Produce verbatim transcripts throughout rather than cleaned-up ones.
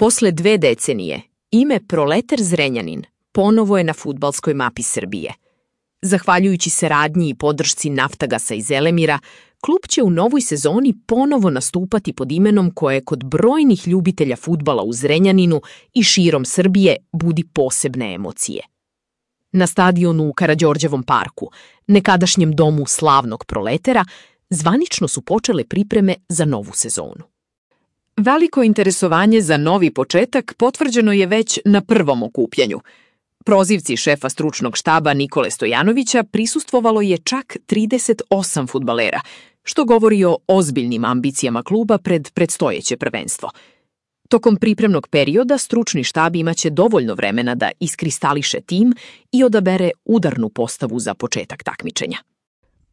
Posle dve decenije, ime Proleter Zrenjanin ponovo je na fudbalskoj mapi Srbije. Zahvaljujući saradnji i podršci Naftagasa i Zelemira, klub će u novoj sezoni ponovo nastupati pod imenom koje kod brojnih ljubitelja fudbala u Zrenjaninu i širom Srbije budi posebne emocije. Na stadionu u Karađorđevom parku, nekadašnjem domu slavnog Proletera, zvanično su počele pripreme za novu sezonu. Veliko interesovanje za novi početak potvrđeno je već na prvom okupljanju. Prozivci šefa stručnog štaba Nikole Stojanovića prisustvovalo je čak trideset osam fudbalera, što govori o ozbiljnim ambicijama kluba pred predstojeće prvenstvo. Tokom pripremnog perioda stručni štab imaće dovoljno vremena da iskristališe tim i odabere udarnu postavu za početak takmičenja.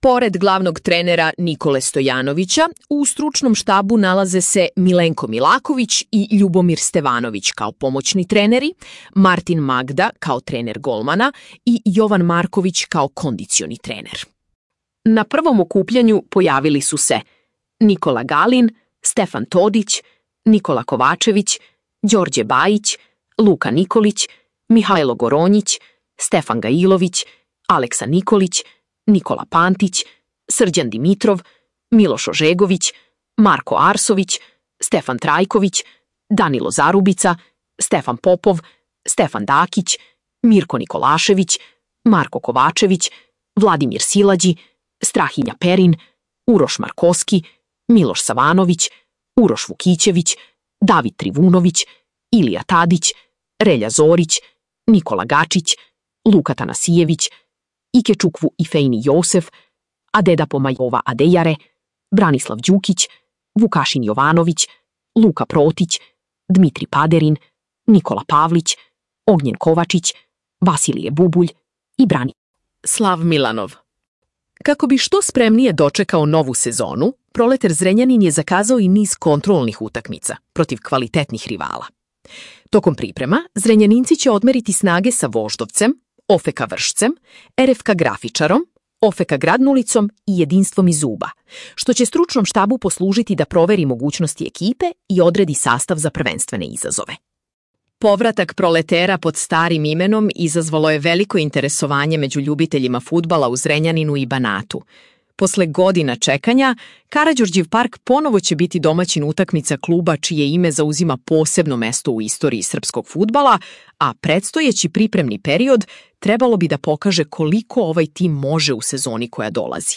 Pored glavnog trenera Nikole Stojanovića, u stručnom štabu nalaze se Milenko Milaković i Ljubomir Stevanović kao pomoćni treneri, Martin Magda kao trener golmana i Jovan Marković kao kondicioni trener. Na prvom okupljanju pojavili su se Nikola Galin, Stefan Todić, Nikola Kovačević, Đorđe Bajić, Luka Nikolić, Mihajlo Goronjić, Stefan Gailović, Aleksa Nikolić, Nikola Pantić, Srđan Dimitrov, Miloš Ožegović, Marko Arsović, Stefan Trajković, Danilo Zarubica, Stefan Popov, Stefan Dakić, Mirko Nikolašević, Marko Kovačević, Vladimir Silađi, Strahinja Perin, Uroš Markoski, Miloš Savanović, Uroš Vukićević, David Trivunović, Ilija Tadić, Relja Zorić, Nikola Gačić, Luka Tanasijević, Ike Čukvu i Fejni Josef, Adeda Pomajova Adejare, Branislav Đukić, Vukašin Jovanović, Luka Protić, Dmitri Paderin, Nikola Pavlić, Ognjen Kovačić, Vasilije Bubulj i Brani Slav Milanov. Kako bi što spremnije dočekao novu sezonu, Proleter Zrenjanin je zakazao i niz kontrolnih utakmica protiv kvalitetnih rivala. Tokom priprema, Zrenjaninci će odmeriti snage sa Voždovcem, O F K Vršcem, R F K Grafičarom, O F K Gradnulicom i Jedinstvom iz Uba, što će stručnom štabu poslužiti da proveri mogućnosti ekipe i odredi sastav za prvenstvene izazove. Povratak Proletera pod starim imenom izazvalo je veliko interesovanje među ljubiteljima fudbala u Zrenjaninu i Banatu. Posle godina čekanja, Karađorđev park ponovo će biti domaćin utakmica kluba čije ime zauzima posebno mesto u istoriji srpskog fudbala, a predstojeći pripremni period trebalo bi da pokaže koliko ovaj tim može u sezoni koja dolazi.